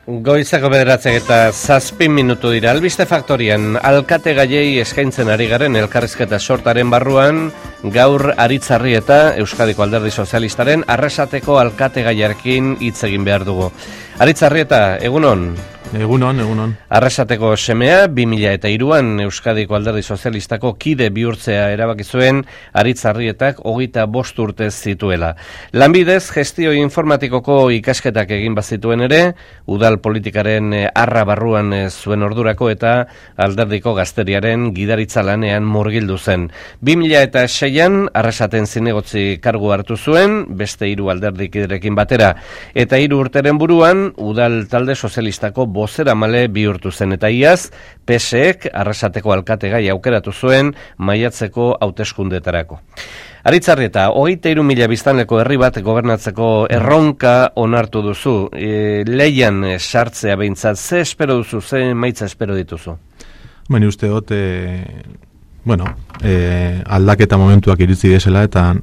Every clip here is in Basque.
Goizako 9:07 dira. Albiste Faktorian alkate gaiei eskaintzen ari garen elkarrizketa sortaren barruan, gaur Aritzarrieta, Euskadiko Alderdi Sozialistaren arrasateko alkate gaiarekin hitz egin behar dugu. Aritzarrieta, egunon? Egunon. Arrasateko semea, 2003an Euskadiko Alderdi Sozialistako kide bihurtzea erabaki zuen Aritzarrietak 25 urte zituela. Lanbidez, gestio informatikoko ikasketak egin bazituen ere, udal politikaren arra barruan zuen ordurako eta alderdiko gazteriaren gidaritza lanean murgildu zen. 2006an arrasaten zinegotzi kargu hartu zuen, beste 3 alderdikiderekin batera, eta 3 urteren buruan, udal talde sozialistako bozeramale bihurtu zen, eta iaz, PSek arrasateko alkategai aukeratu zuen maiatzeko hauteskundetarako. Aritzarrieta, 23.000 biztanleko herri bat gobernatzeko erronka onartu duzu. Leian sartzea behintzat, ze espero duzu, ze maitza espero dituzu? Baina uste dut, aldaketa momentuak iritzi desela, eta,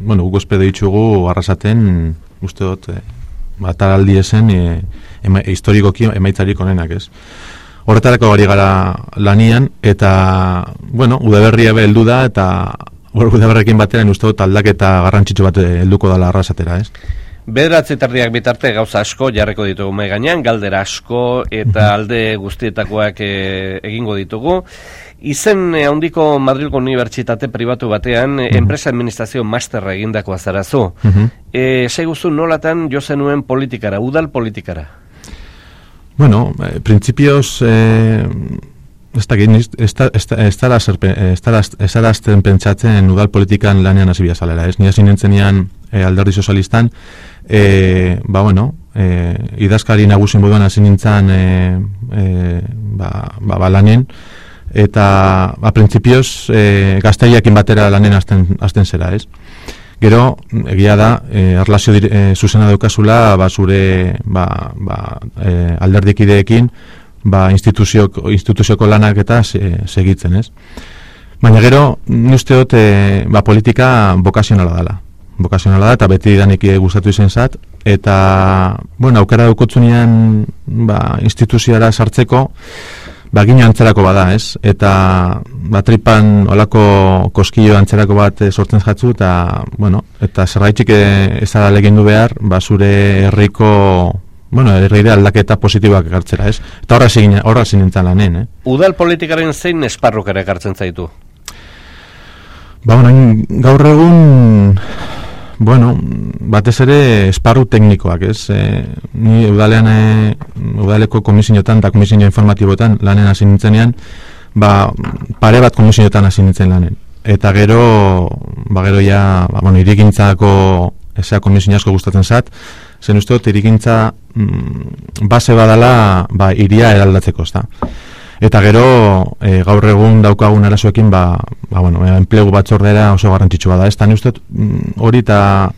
guk espero ditugu arrasaten, uste dut, bataraldi esen, historikoki emaitzarik onenak, ez? Horretarako gari gara lanian, eta, udaberria heldu da, eta udaberrekin batean uste dut aldaketa garrantzitsu bat helduko dela arrasatera, ez? 9:30 bitarte gauza asko jarriko ditugu mai gainean, galdera asko eta alde guztietakoak egingo ditugu. Izen handiko Madrilgo Unibertsitate pribatu batean enpresa administrazio masterra egindakoa zarazu. Seiguzu nolatan jo zenuen politikara, udal politikara? Principios ez darazten pentsatzen udal politikan lanean hasi biazalera, ez? Ni hasi nintzenean Alderdi Sozialistan, idazkari nagusin moduan hasi nintzen lanen, eta principios gazteiakin batera lanen hasten zera, ez? Gero, egia da, erlazio zuzena daukazula, zure alderdikideekin, instituzioko lanak eta segitzen, ez? Baina gero, uste dut, politika bokazionala dela. Bokazionala da, eta beti danik gustatu izen zat, eta, aukera daukotzunean, instituzioara sartzeko, gino antzerako bada, ez? Eta, tripan olako koskillo antzerako bat sortzen jatzu, eta, eta zergaitxik ez da legendu behar, zure herriko, herrire aldaketa positiboak ekartzera, ez? Eta horra zinintzen lanen, Udal politikaren zein esparruk ere ekartzen zaitu? Gaur egun, batez ere esparru teknikoak, ez? Ni udaleko komisioetan eta komisio informatiboetan lanen hasi nintzenean, pare bat komisioetan hasi nintzen lanen. Eta gero ja, irigintzako ezea komisio asko gustatzen zat, zen uste dut irigintza base badala iria eraldatzeko, ezta. Eta gero, gaur egun daukagun arazoekin, enplegu batzordera oso garrantzitsua da. Ez da, ni uste hori eta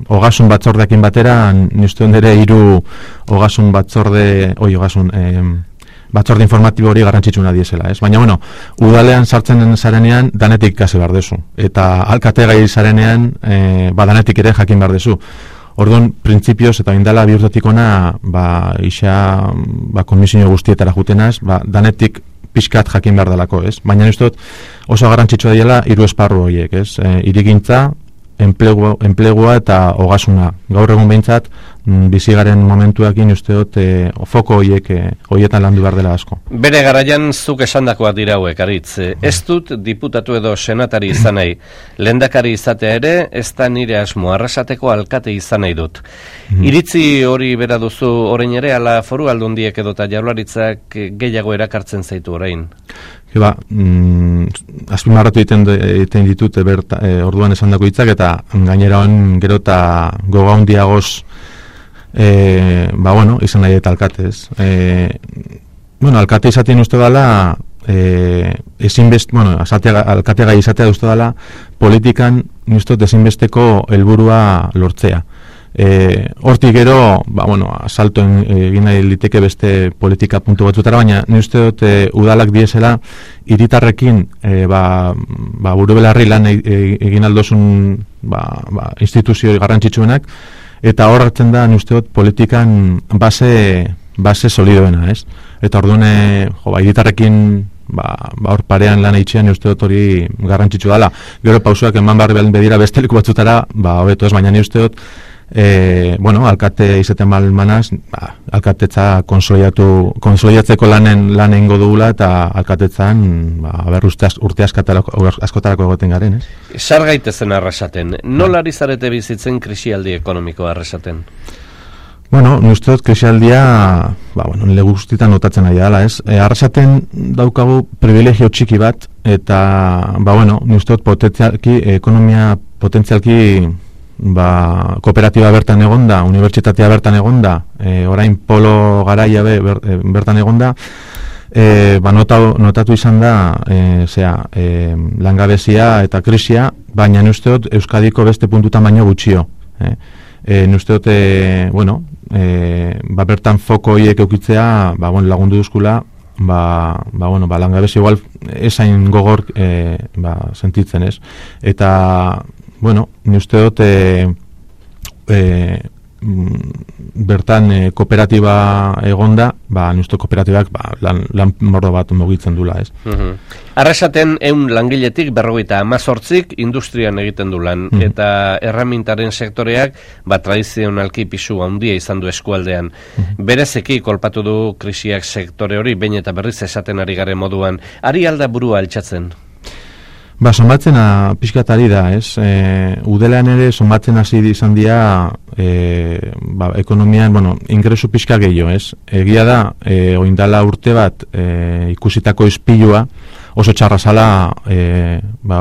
ogasun batzordeakin batera, ni uste ere 3 ogasun batzorde informatibo hori garrantzitsuna diesela, ez? Baina, udalean sartzen zarenean, danetik ikasi behar dezu. Eta alkate gai zarenean, danetik ere jakin behar dezu. Orduan, printzipioz eta indala bihurtatik ona, komisio guztietara jutenaz, danetik pixkat jakin behar delako, ez? Baina uste dut oso garrantzitsua dela 3 esparru horiek, ez? Irigintza, enplegua eta ogasuna. Gaur egun behintzat, bizigaren momentuakin uste dut foko horietan landu behar dela asko. Bere garaian zuk esandakoak dira hauek, Aritz. Ez dut diputatu edo senatari izan nahi. Lehendakari izatea ere, ez da nire asmo, arrasateko alkate izan nahi dut. Iritzi hori bera duzu orain ere, ala foru aldundiek edota jaurlaritzak gehiago erakartzen zaitu orain? Azpimarratu egiten ditut orduan esandako hitzak, eta gainera hon gero eta goga hundiagoz izan nahi eta alkatez. Alkate izaten uste dela, alkate gai izatea uste dela, politikan ezinbesteko helburua lortzea. Hortik gero, asalto egin nahi liteke beste politika puntu batzutara, baina ni uste dut udalak diesela hiritarrekin buru belarri lan egin aldozun instituzio garrantzitsuenak, eta hor hartzen da, usteot, politikan base solidoena, ez? Eta orduan, hiritarrekin hor parean lan eitxean usteot hori garrantzitsu dela. Gero pausuak eman barri bedira besteliko batzutara, hobeto ez, baina ni usteot, alkate izaten malmanaz, alkatetza konsolidatzeko lanen ingo dugula, eta alkatetzan, urte askotarako egoten garen, ez? Sar gaitezen arrasaten, nola ari zarete bizitzen krisialdi ekonomikoa arrasaten? Bueno, nuzteot krisialdia, nire guztietan notatzen ari dela, ez? Arrasaten daukagu privilegio txiki bat, eta, nuzteot ekonomia potentzialki kooperatiba bertan egonda, unibertsitatea bertan egonda, orain polo garaia bertan egonda, notatu izan da, langabezia eta krisia, baina nuzteot Euskadiko beste puntutan baino gutxio. Nuzteot, bertan foko hiek eukitzea, lagundu duzkula, langabezia igual esain gogor sentitzen, ez? Eta, ni usteot bertan kooperatiba egonda, ni uste kooperatibak lan mordo bat mugitzen dula, ez? Arrasaten 100 langiletik 58 industrian egiten du lan, eta erramintaren sektoreak tradizionalki pisu handia izan du eskualdean. Berezeki kolpatu du krisiak sektore hori, behin eta berriz esaten ari garen moduan. Ari alda burua altxatzen? Somatzen pixkatari da, ez? Udelean ere somatzen hasi izan dira ekonomian, ingresu pixka gehiago, ez? Egia da, oindala urte bat ikusitako ispilua oso txarra zala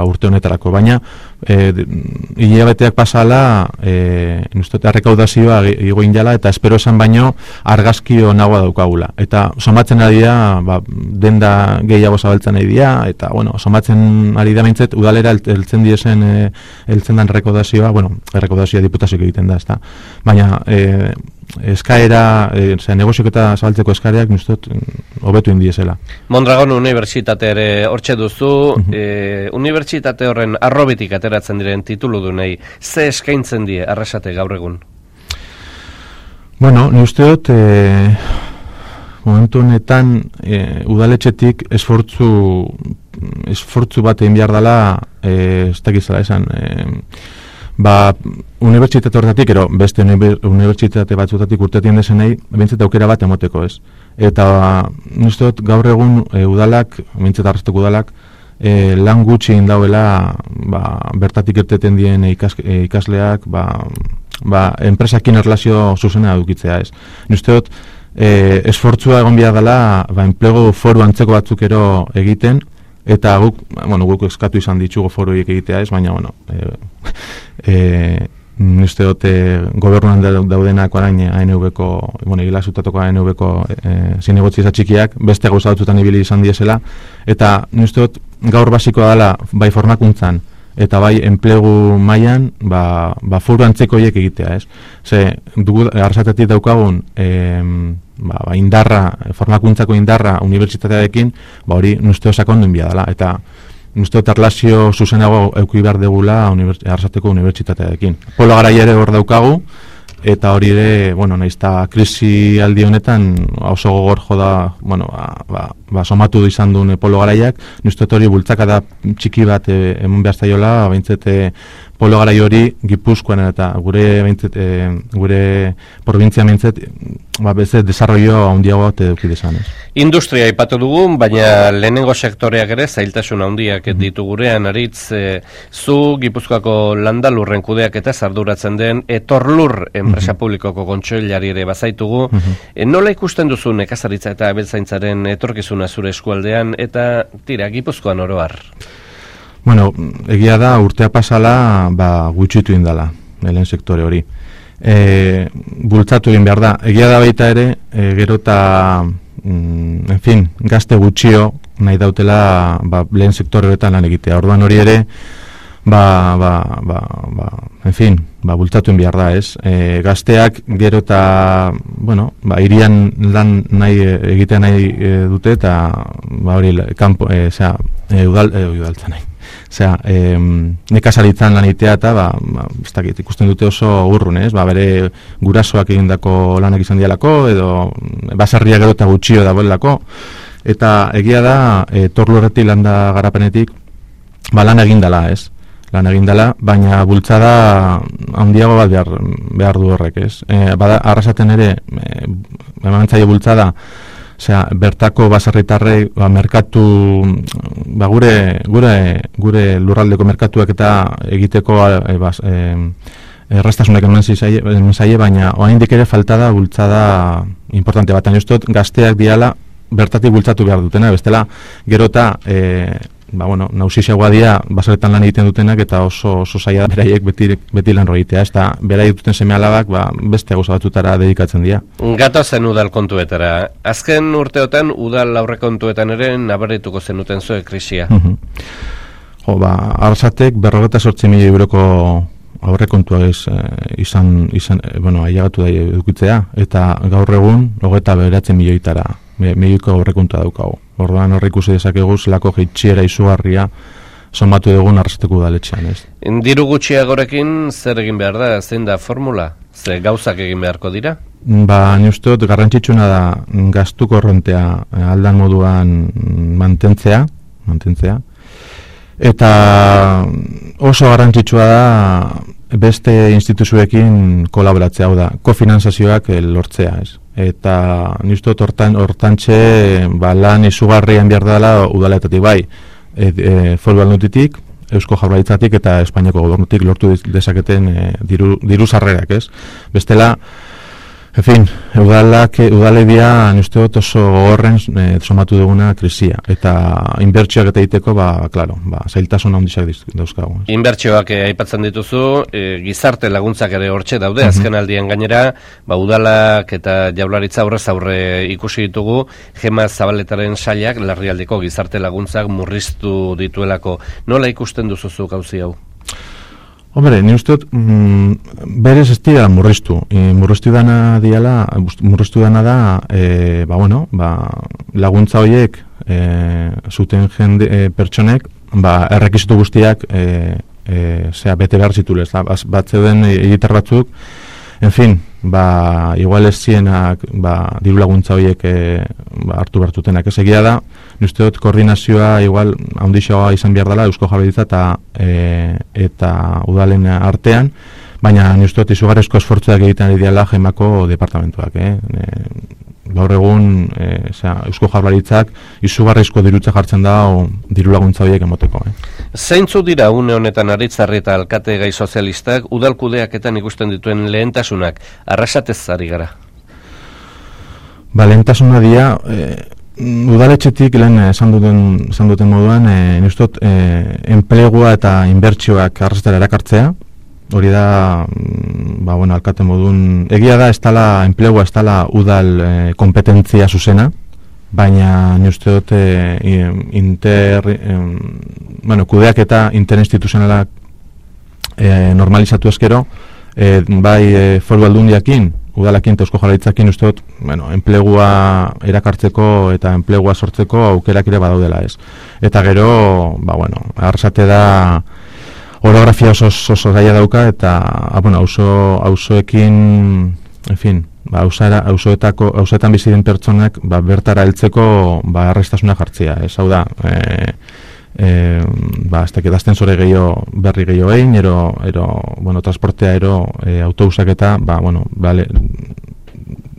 urte honetarako, baina hilabeteak pasala errekaudazioa igo indala, eta espero esan baino argazkio nagoa daukagula. Eta somatzen ari da, denda gehiago zabaltzen ari da, eta somatzen ari da bintzet, udalera heltzen dan errekaudazioa, errekaudazioa diputazioak egiten da, ezta. Baina eskaera, negoziok eta zabaltzeko eskareak nustot hobetu indiezela. Mondragon Unibertsitate ere hortxe duzu, unibertsitate horren arrobitik ateratzen diren tituludunei, ze eskaintzen die Arrasate gaur egun? Ni usteot momentu honetan udaletxetik esfortzu bat egin behar dela, ez dakizela esan, unibertsitate horretatik, beste unibertsitate batzutatik urtetien dezenei, bintzet aukera bat emoteko, ez? Eta nuzteot gaur egun udalak, bintzet arrasteko udalak, lan gutxi indauela bertatik irteten dien ikasleak, enpresakin erlazio zuzena edukitzea, ez? Nuzteot, esfortzua egon behar dela, enplegu foru antzeko batzuk ero egiten, eta guk eskatu izan ditugu foroiek egitea, ez? Baina, usteot gobernuan daudenak orain ANV-ko, egilazutatoko ANV-ko zinegotzi txikiak, beste gauza batzutan ibili izan diesela, eta usteot gaur basikoa dela bai formakuntzan eta bai enplegu mailan foro antzeko hiek egitea, ez? Ze, Arrasatetik daukagun indarra, formakuntzako indarra unibertsitatearekin, hori nusteo sakondu inbia dela, eta nusteo erlazio zuzenago euki behar degula Arrasateko unibertsitatearekin. Polo garaia ere hor daukagu, eta hori ere, nahizta krisi aldi honetan oso gogor joda, somatu izan duen polo garaiak, nusteo hori bultzakada txiki bat emun behar zaiola, behintzete polo garai hori Gipuzkoan eta gure provintzia behintzet, bezet desarrollo handiago bat eduki desan, ez? Industria aipatu dugu, baina lehenengo sektoreak ere zailtasun handiak ditu gurean, Aritz, zu Gipuzkoako landalurren kudeak eta arduratzen den Etorlur enpresa publikoko kontseilari ere bazaitugu. Nola ikusten duzu nekazaritza eta abeltzaintzaren etorkizuna zure eskualdean eta Gipuzkoan oro har? Egia da urtea pasala gutxitu indala, lehen sektore hori. Bultzatu egin behar da. Egia da baita ere, gero eta gazte gutxio nahi dautela lehen sektore horretan lan egitea. Orduan hori ere, bultzatu egin behar da, ez? Gazteak gero eta, irian lan egitea nahi dute, eta hori udaltzen nahi. Osea, nekazaritzan lanitea eta ez dakit, ikusten dute oso urrun, ez? Bere gurasoak egindako lanak izan dialako edo baserria gero eta gutxio dagoelako. Eta egia da, Torlurretik landa garapenetik lan egindala, ez? Lan egindala, baina bultzada handiago bat behar du horrek, ez? Arrasaten ere, emantzaile bultzada, osea, bertako baserritarrei merkatu, gure lurraldeko merkatuak eta egiteko errastasunak eman zaie, baina oraindik ere falta da bultzada importante bat. Baina gazteak diala bertatik bultzatu behar dutena, bestela gero eta nausixagoa dira baserretan lan egiten dutenak eta oso zaila beraiek beti lan roitea, ez da beraiek duten seme-alabak beste gauza batzutara dedikatzen dira. Gatozen udal kontuetara. Azken urteotan udal aurrekontuetan ere nabarituko zenuten zuen krisia. Arrasatek 58 milioi euroko aurrekontua ailegatu da edukitzea, eta gaur egun 29 milioitara milioiko aurrekontua daukagu. Orduan horre ikusi dezakegu zelako jaitsiera izugarria somatu dugun Arrasateko udaletxean, ez? Diru gutxiagorekin zer egin behar da, zein da formula? Ze gauzak egin beharko dira? Ni uste dut garrantzitsuna da gastu korrontea aldan moduan mantentzea, eta oso garrantzitsua da beste instituzioekin kolaboratzea, hau da, kofinantzazioak lortzea, ez? Eta niztot hortantxe lan izugarrian behar dela udaletatik bai, Foru Aldunditik, Eusko Jaurlaritzatik eta Espainiako Gobernutik lortu dezaketen diru sarrerak, ez? Bestela, en fin, udaledia niztot oso gogorren somatu duguna krisia, eta inbertsioak eta egiteko, zailtasun handiak dauzkagu. Inbertsioak aipatzen dituzu, gizarte laguntzak ere hortxe daude, azken aldian gainera, udalak eta Jaurlaritza aurrez aurre ikusi ditugu, Gema Zabaletaren sailak larrialdeko gizarte laguntzak murriztu dituelako. Nola ikusten duzuzu gauzi hau? Hombre, ni uste dut, berez ez dira murriztu. Murriztu dana da, laguntza horiek zuten jende pertsonek, errekizitu guztiak bete behar zitulez. Bat zeuden egitar batzuk, en fin, igual ez zienak diru laguntza horiek hartu bertutenak. Ez egia da, ni uste dut koordinazioa igual handixoa izan behar dela Eusko Jaurlaritza eta udalen artean, baina ni uste dut izugarrizko esfortzuak egiten ari diala Gemako departamentuak. Gaur egun Eusko Jaurlaritzak izugarrizko dirutza jartzen da diru laguntza horiek emoteko. Zeintzu dira une honetan Aritzarri eta alkate gai sozialistak udalkudeaketan ikusten dituen lehentasunak Arrasatez ari gara? Lehentasuna dira, udaletxetik lehen esan duten moduan, niztot, enplegua eta inbertsioak Arrasatera erakartzea. Hori da, alkate modun, egia da, enplegua ez dela udal kompetentzia zuzena, baina ni uste dut kudeak eta interinstituzionalak normalizatu ezkero, bai Foru Aldundiakin, udalakin eta Eusko Jaurlaritzakin uste dut, enplegua erakartzeko eta enplegua sortzeko aukerak ere badaudela, ez. Eta gero, Arrasate da orografia oso zaila dauka eta auzoekin, en fin, auzoetan bizi den pertsonak bertara heltzeko erraztasuna jartzea, ez hau da, ez dakit aztensore berri gehiago egin, transportea autobusak eta,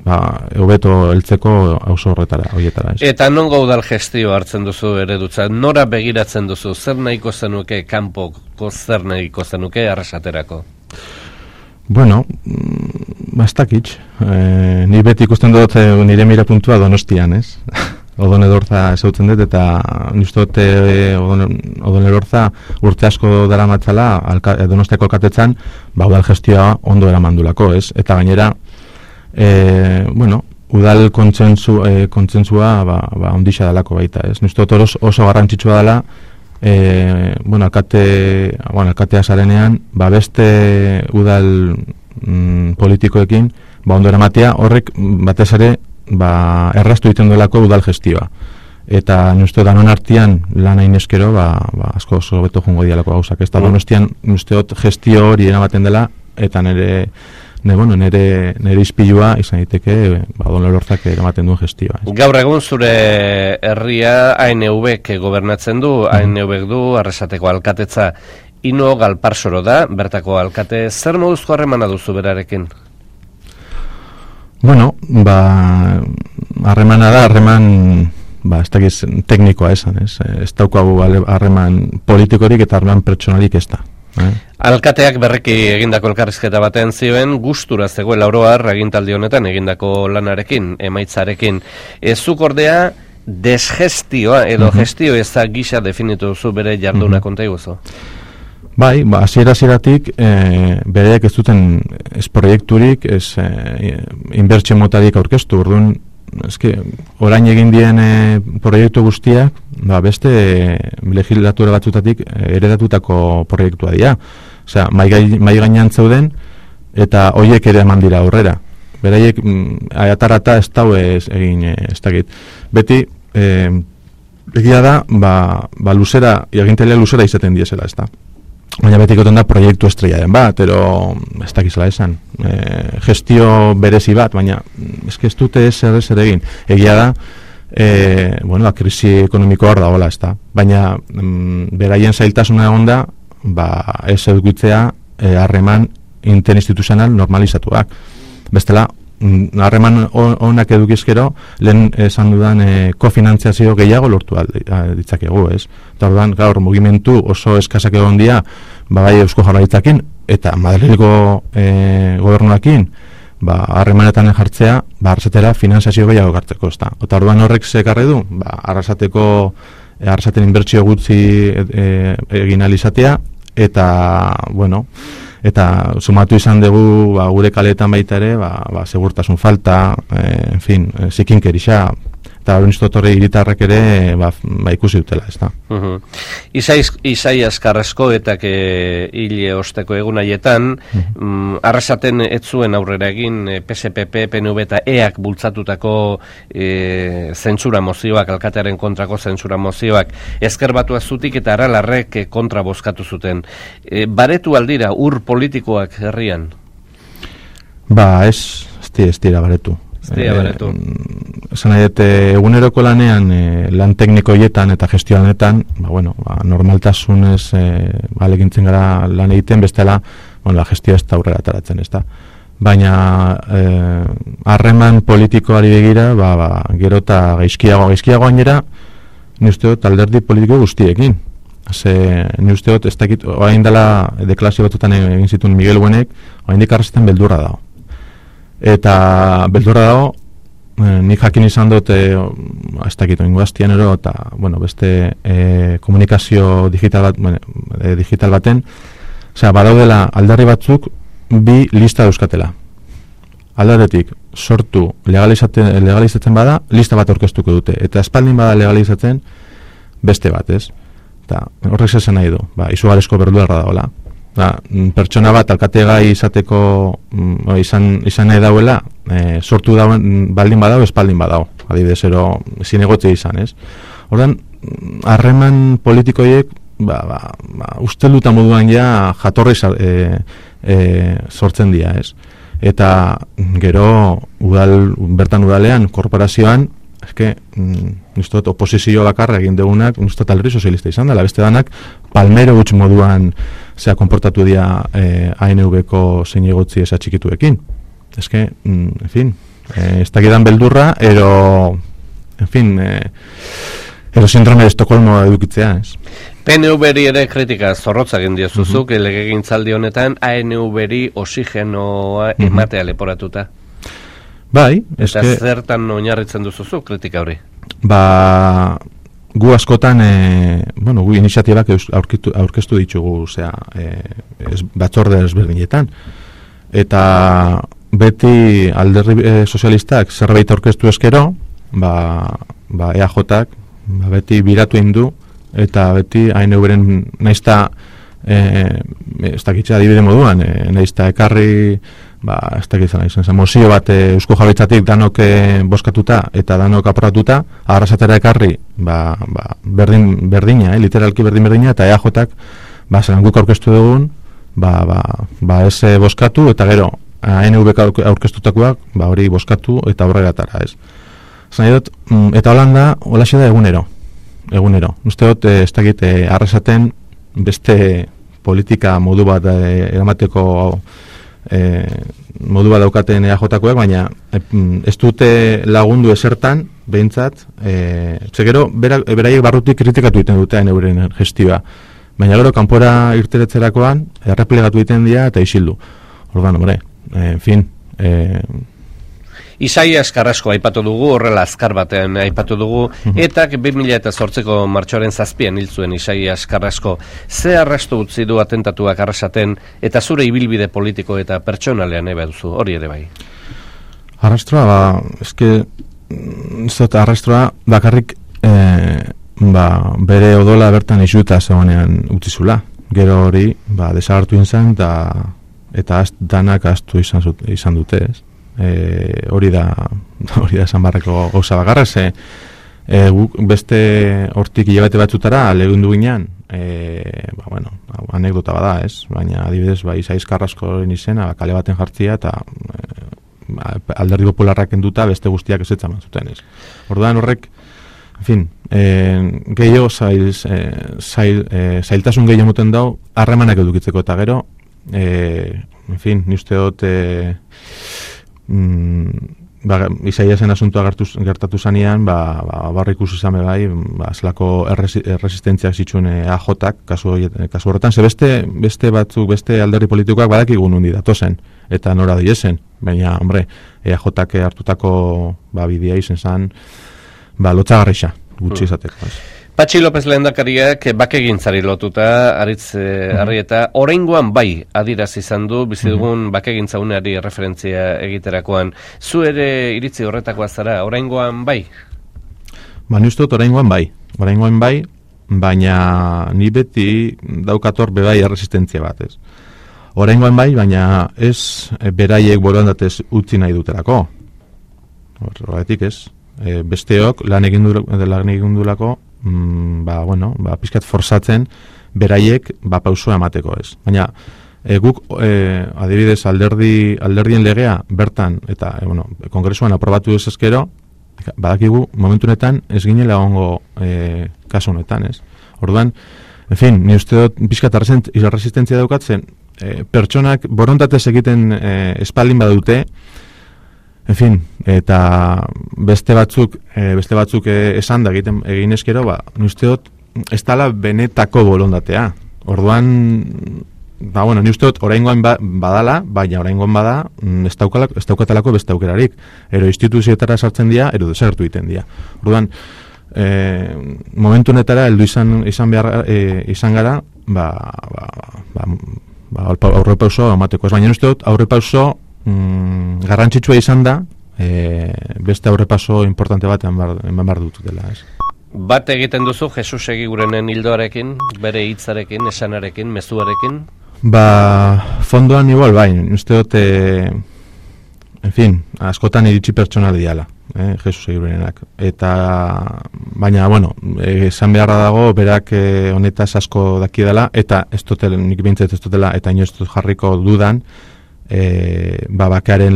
hobeto heltzeko auzo horietara. Eta nongo udal gestio hartzen duzu eredutza? Nora begiratzen duzu? Zer nahiko zenuke kanpoko, zer nahiko zenuke Arrasaterako? Ez dakit. Ni beti ikusten dut nire mira puntua Donostian, ez? Odone Elorza ezautzen dut, eta nistot Odone Elorza urte asko dara matzala Donostiako alkatetzan, udal gestioa ondo eramandulako, ez? Eta gainera, udal kontsentsua ondixa dalako baita, ez? Nistot oso garrantzitsua dela, alkatea zarenean, beste udal politikoekin, ondo eramatea, horrek batez ere, erraztu egiten duelako udal gestioa. eta uste danon artean lan hain eskero, asko oso beto jungo dialako gauzak. Ez da, Donostian, uste gestio hori eramaten dela, eta nire izpilua izan diteke, Don Lortzak eramaten duen gestioa. Gaur egun zure herria ANV-k gobernatzen du, ANV-k du, Arrasateko alkatetza. Ino Galparsoro da, bertako alkate, zer moduzko harremana duzu berarekin? Bueno, harremana da, ez dakiz teknikoa esan, ez daukagu harreman politikorik eta harreman pertsonalik ez da. Alkateak berriki egindako elkarrizketa baten zioen, gustura zegoela oroar agintaldi honetan egindako lanarekin, emaitzarekin. Zuk ordea, desgestioa edo gestio eza gisa definitu duzu bere jarduna konta iguzu? Bai, hasieratik bereak ez duten ez proiekturik, ez inbertsio motarik aurkeztu, orduan, orain egin dien proiektu guztiak, beste legislatura batzutatik eredatutako proiektua dira. Osea, mai gainean zeuden eta hoiek ere eman dira aurrera. Beraiek atarata ez dau egin ez dakit. Beti egia da, luzera, agintailea luzera izaten diesela, ez da. Baina betikoten da proiektu estrella den bat, ero ez dakizela esan. Gestio berezi bat, baina ez dute zer egin. Egia da, krisi ekonomikoa hor dagoela, ez da. Baina beraien zailtasuna egon da, ez edukitzea harreman interinstituzional normalizatuak. Bestela, harreman onak edukizkero, lehen esan dudan kofinantziazio gehiago lortu ditzakegu, ez? Eta orduan, gaur mugimendu oso eskasak egon dira, bai Eusko Jaurlaritzakin eta Madrilgo gobernuakin, harremanetan jartzea, Arrasatera finanziazio gehiago gartzeko, ez da. Eta orduan horrek zekarri du, Arrasaten inbertsio gutxi egin alizatea, eta, eta sumatu izan dugu gure kaletan baita ere, segurtasun falta, zikinkerixa, eta horreniztotorre hiritarrak ere ikusi dutela, ez da. Isaias Carrascoetak hile osteko egun haietan, Arrasaten ez zuen aurrera egin PSPP, PNV eta EAK bultzatutako zentsura mozioak, alkatearen kontrako zentsura mozioak, ezker batua zutik eta Aralarrek kontra bozkatu zuten. Baretu aldira ur politikoak herrian? Ez dira baretu. Esan nahi, eguneroko lanean, lan teknikoietan eta gestioanetan, normaltasunez alegintzen gara lan egiten, bestela, gestioa ez da aurrera ataratzen, ez da. Baina, harreman politikoari begira, gero eta gaizkiago gainera, ni usteot alderdi politiko guztiekin. Ni usteot, ez dakit, oain dela deklasio batzutan egin zituen Miguel Buenek, oain dikarrezetan beldurra dago. Eta beldurra dago, nik jakin izan dut, ez dakit, ingoaztian ero, eta, beste komunikazio digital baten, badaudela aldarri batzuk bi lista euskatela. Aldaretik, sortu legalizatzen bada, lista bat aurkeztuko dute, eta espaldin bada legalizatzen beste bat, ez? Eta horrek zezen nahi du, izugarrizko beldurra dagoela. Pertsona bat alkategai izateko izan nahi dauela, sortu dauen baldin badau, espaldin badau, adibidez, zinegotze izan, ez? Horren, harreman politikoiek, ustelduta moduan ja jatorri sortzen dira, ez? Eta gero, bertan udalean, korporazioan, nustot oposizio bakarra egin degunak, nustot alderdi sozialista izan dela, beste danak palmero huts moduan konportatu dira ANV-ko zein egotzi eza txikituekin. Ez dakidan beldurra, ero sindrome de Estocolmo edukitzea, ez? PNV-ri ere kritika zorrotza egin diozuzuk, legegintzaldi honetan ANV-ri oxigenoa ematea leporatuta. Bai, eta zertan oinarritzen duzuzu kritika hori? Gu askotan, gu iniziatibak aurkeztu ditugu, batzorde ezberdinetan. Eta beti alderdi sozialistak zerbait aurkeztu eskero, EAJak beti biratu indu, eta beti ANV-ren naizta, ez dakitza adibide moduan, naizta ekarri ez dakit izan, mozio bat Eusko Jaurlaritzatik danok boskatuta eta danok aprobatuta, Arrasatera ekarri, berdina, literalki berdina, eta EAJak, zelan guk aurkeztu dugun, ez boskatu, eta gero, ANV aurkeztutakoak, hori boskatu eta aurrera atara, ez. Zan dut, eta Holanda, holaxe da egunero. Uste dut, ez dakit, Arrasaten beste politika modu bat eramateko modu bat daukaten EAJkoak, baina ez dute lagundu esertan, behintzat, gero, beraiek barrutik kritikatu egiten dute euren gestioa. Baina gero, kanpora irteretzerakoan, erreplegatu egiten dira eta isildu. Ordan, hombre, en fin... Isaias Carrasco aipatu dugu, horrela azkar batean aipatu dugu, eta 2008ko martxoaren 7 hil zuen Isaias Carrasco. Ze arrastu utzi du atentatuak Arrasaten, eta zure ibilbide politiko eta pertsonalean ebe duzu, hori ere bai? Arrastroa, arrastroa bakarrik bere odola bertan isuta zegoenean utzizula. Gero hori, desagartu izan, eta danak astu izan dute, ez? Hori da esan barreko gauza bakarra, beste hortik hilabete batzutara legundu ginean, anekdota bada, ez? Baina adibidez, Isaias Carrascoren izena kale baten jartzia eta Alderdi Popularrak enduta beste guztiak ezetzaman zuten, ez? Orduan horrek, en fin, gehiago zailtasun gehiago moten dau harremanak edukitzeko, eta gero, en fin, ni uste dut Isaiasen asuntua gertatu zanean, barra ikusi zame bai, zelako erresistentziak zituen AJak, kasu horretan, beste batzuk, beste alderdi politikoak badakigu nundi datozen, eta nora diesen, baina, hombre, AJak hartutako bidea izen zan, lotxagarrixa, gutxi izateko. Patxi López lehendakariak bakegintzari lotuta, Aritz Arrieta, oraingoan bai adierazi izan du, bizi dugun bakegintza uneari referentzia egiterakoan. Zu ere iritzi horretakoa zara, oraingoan bai? Ni uste dut oraingoan bai, baina ni beti daukator bebai erresistentzia bat, ez. Oraingoan bai, baina ez beraiek borondatez utzi nahi duterako. Horregatik ez. Besteok lan egin dulako, pizkat forzatzen beraiek pausua emateko, ez. Baina guk adibidez alderdien legea bertan eta kongresuan aprobatu ez ezkero, badakigu momentu honetan ez ginela egongo kasu honetan, ez. Orduan, en fin, ni uste dut pizkat resistentzia daukatzen, pertsonak borondatez egiten espaldin badute, en fin, eta beste batzuk esan da egin eskero, ni uste dut ez dala benetako bolondatea. Orduan, ni uste dut oraingoan badala, baina oraingoan bada ez daukatalako beste aukerarik. Ero instituzioetara sartzen dira, ero desertu egiten dira. Orduan, momentu honetara heldu izan gara, aurrepauso emateko. Baina uste dut aurrepauso garrantzitsua izan da, beste aurrepaso importante bat eman behar dut dela, ez. Bat egiten duzu Jesus Egigurenen hildoarekin, bere hitzarekin, esanarekin, mezuarekin? Fondoan igual, uste dut, en fin, askotan iritsi pertsonal diala, Jesus Egigurenak. Baina, esan beharra dago, berak honetaz asko daki dela, eta nik bintzat ez dutela, eta inoz jarriko dudan, bakaren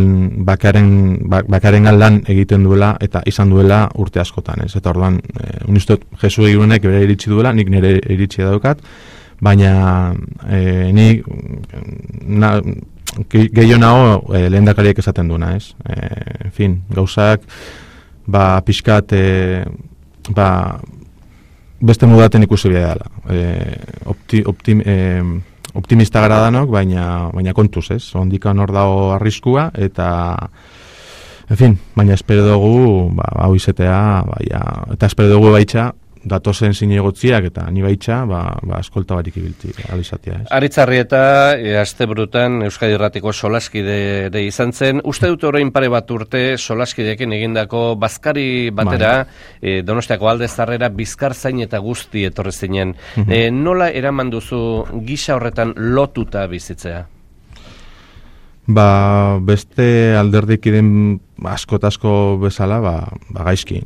lan egiten duela eta izan duela urte askotan, ez? Eta orduan, unistot Jesus Egigurenek bere iritsi duela, nik nire iritsi daukat, baina nik gehiago nago lehendakariak esaten duena, ez? En fin, gauzak pixkat beste mudaten ikusi bidea dela. Optimista gara danok, baina kontuz, ez? Ondikan hor dago arriskua, eta, en fin, baina espero dugu, hau izetea, eta espero dugu baitxa, datozen zinegotziak, eta ni baitxa, eskolta barik ibilti, alizatia, ez? Aritz Arrieta, asteburutan Euskadi Irratiko solaskide ere izan zen. Uste dut orain pare bat urte solaskideekin egindako bazkari batera, Donostiako Alde Zarrera bizkar zain eta guzti etorri zinen. Nola eraman duzu gisa horretan lotuta bizitzea? Beste alderdikiden asko bezala, gaizki.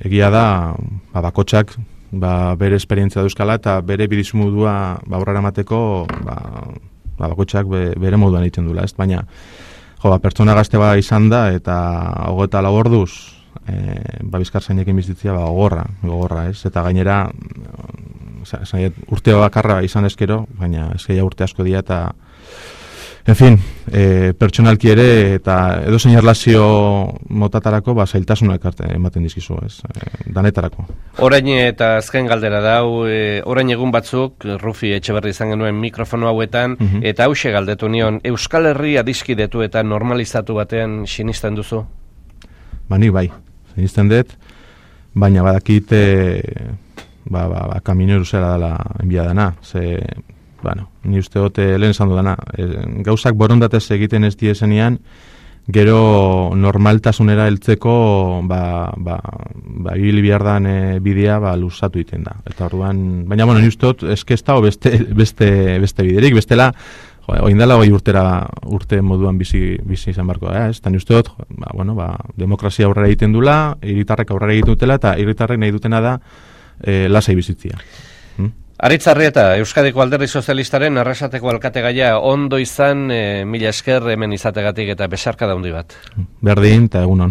Egia da, bakotxak, bere esperientzia duzkala eta bere bidizmudua aurrera emateko, bakotxak bere moduan egiten duela, ez? Baina, pertsona gazte izan da eta 24 orduz, bizkarzainekin bizitzia gogorra, ez? Eta gainera, urte bakarra izan ezkero, baina ezkeia urte asko dira eta en fin, pertsonalki ere eta edozein erlazio motatarako zailtasunak ematen dizkizu, ez? Danetarako. Orain eta azken galdera da, orain egun batzuk, Rufi Etxeberri izan genuen mikrofono hauetan, eta hause galdetu nion, Euskal Herria adiskidetu eta normalizatu batean sinisten duzu? Nik bai, sinisten dut, baina badakit kamino eruzera dela enbiadana, ni uste dut lehen esan dudana, gauzak borondatez egiten ez diezenean, gero normaltasunera heltzeko ibili behar dan bidea luzatu egiten da. Eta orduan, baina ni uste dut eskesta o beste biderik, bestela oindala urte moduan bizi izan barko da, ez? Eta ni uste dut, demokrazia aurrera egiten dula, hiritarrek aurrera egiten dutela, eta hiritarrek nahi dutena da lasai bizitzia. Aritz Arrieta, Euskadiko Alderdi Sozialistaren Arrasateko alkategaia ondo izan, mila esker hemen izategatik eta besarka daundi bat. Berdin eta egunon.